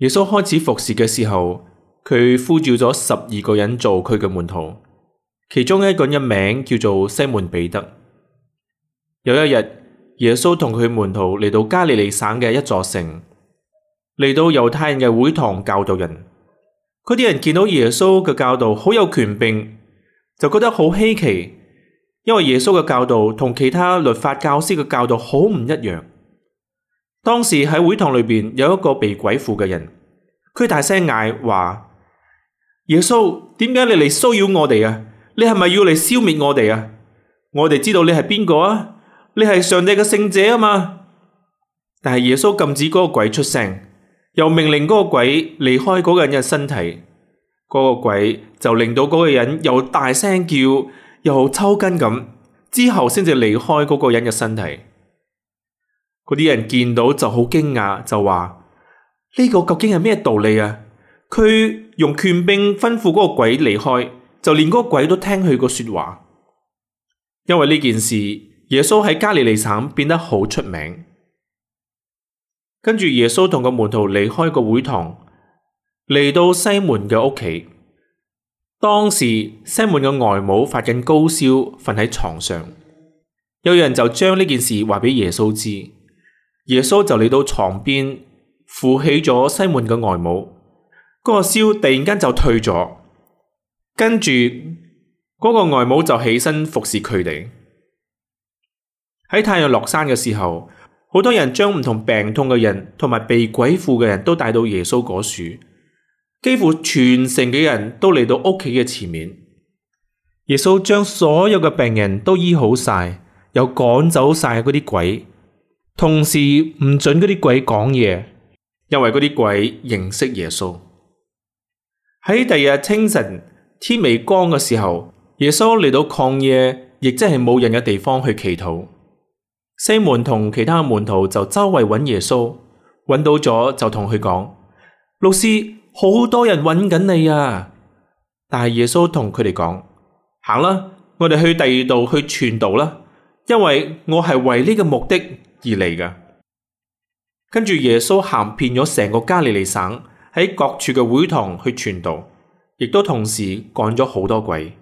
耶穌開始服侍嘅時候，佢呼召咗12個人做佢嘅門徒，其中一個人名叫做西門彼得。有一日，耶穌同佢門徒嚟到加利利省嘅一座城，嚟到猶太人嘅會堂教導人。嗰啲人見到耶穌嘅教導好有權柄，就覺得好稀奇，因為耶穌嘅教導同其他律法教師嘅教導好唔一樣。當時喺會堂裏邊有一個被鬼附嘅人，佢大聲嗌話：耶穌，點解你嚟騷擾我哋啊？你係咪要嚟消滅我哋啊？我哋知道你係邊個啊？你係上帝嘅聖者啊嘛。但係耶穌禁止嗰個鬼出聲，又命令嗰個鬼離開嗰個人嘅身體。嗰個鬼就令到嗰個人又大聲叫，又抽筋咁，之後先至離開嗰個人嘅身體。嗰啲人見到就好驚訝，就話：呢個究竟係咩道理啊？佢用權柄吩咐嗰個鬼離開，就連嗰個鬼都聽佢個說話。因為呢件事，耶穌喺加利利省變得好出名。跟住耶穌同個門徒離開個會堂，嚟到西門嘅屋企。當時西門嘅外母發緊高燒，瞓喺床上。有人就將呢件事話俾耶穌知。耶穌就嚟到床邊，扶起咗西門嘅外母，嗰個燒突然間就退咗，跟住嗰個外母就起身服侍佢哋。喺太陽落山嘅時候，好多人將唔同病痛嘅人同埋被鬼附嘅人都帶到耶穌嗰處，幾乎全城嘅人都嚟到屋企嘅前面。耶穌將所有嘅病人都醫好晒，又趕走晒嗰啲鬼。同時唔准嗰啲鬼講嘢，因為嗰啲鬼認識耶穌。喺第二日清晨天未光嘅時候，耶穌嚟到曠野，亦即係冇人嘅地方去祈禱。西門同其他門徒就周圍揾耶穌，揾到咗就同佢講：老師，好多人揾緊你啊！但係耶穌同佢哋講：行啦，我哋去第二度去傳道啦，因為我係為呢個目的而嚟㗎。跟住耶穌行遍咗成個加利利省，喺各處嘅會堂去傳道，亦都同時趕咗好多鬼。